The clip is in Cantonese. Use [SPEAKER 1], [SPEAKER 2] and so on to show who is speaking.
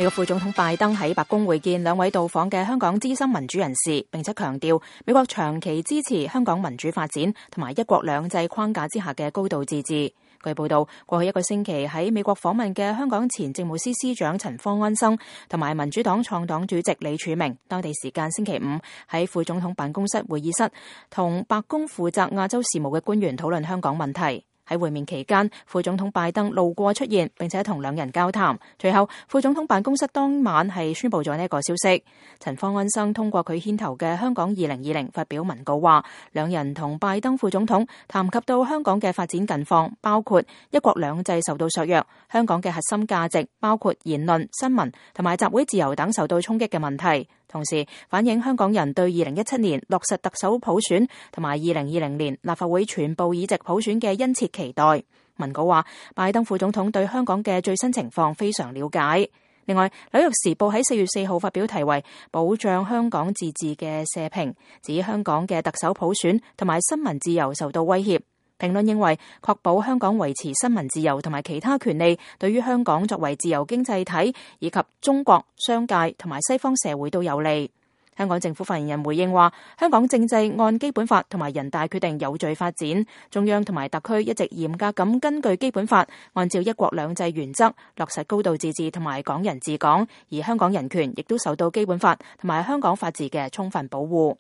[SPEAKER 1] 美國副總統拜登喺白宮會見兩位到訪嘅香港資深民主人士，並且強調美國長期支持香港民主發展同埋一國兩制框架之下嘅高度自治。據報道，過去一個星期喺美國訪問嘅香港前政務司司長陳方安生同埋民主黨創黨主席李柱銘，當地時間星期五喺副總統辦公室會議室同白宮負責亞洲事務嘅官員討論香港問題。喺會面期間，副總統拜登路過出現，並且同兩人交談。隨後，副總統辦公室當晚係宣布咗呢一個消息。陳方安生通過佢牽頭嘅香港2020發表文告話，兩人同拜登副總統談及到香港嘅發展近況，包括一國兩制受到削弱，香港嘅核心價值包括言論、新聞同埋集會自由等受到衝擊嘅問題。同時反映香港人對2017年落實特首普選同埋2020年立法會全部議席普選嘅殷切期待。文稿話，拜登副總統對香港嘅最新情況非常了解。另外，紐約時報喺4月4號發表題為保障香港自治嘅社評，指香港嘅特首普選同埋新聞自由受到威脅。評論認為，確保香港維持新聞自由同埋其他權利，對於香港作為自由經濟體以及中國、商界同埋西方社會都有利。香港政府發言人回應話，香港政制按基本法同埋人大決定有序發展，中央同埋特區一直嚴格咁根據基本法，按照一國兩制原則落實高度自治同埋港人治港，而香港人權亦都受到基本法同埋香港法治嘅充分保護。